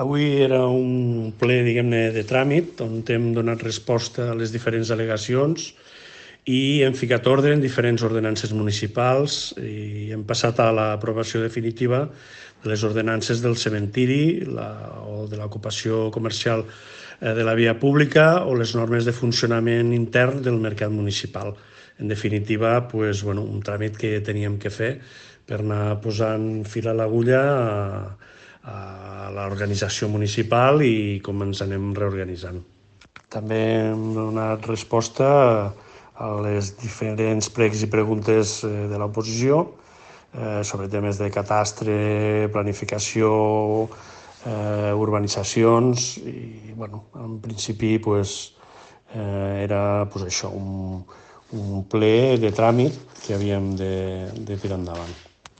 Avui era un ple, diguem-ne, de tràmit, on hem donat resposta a les diferents al·legacions i hem ficat ordre en diferents ordenances municipals i hem passat a l'aprovació definitiva de les ordenances del cementiri o de l'ocupació comercial de la via pública o les normes de funcionament intern del mercat municipal. En definitiva, un tràmit que teníem que fer per anar posant fil a l'agulla a l'organització municipal i com ens anem reorganitzant. També hem donat resposta a les diferents pregs i preguntes de l'oposició sobre temes de catastre, planificació, urbanitzacions i, en principi, era això, un ple de tràmit que havíem de tirar endavant.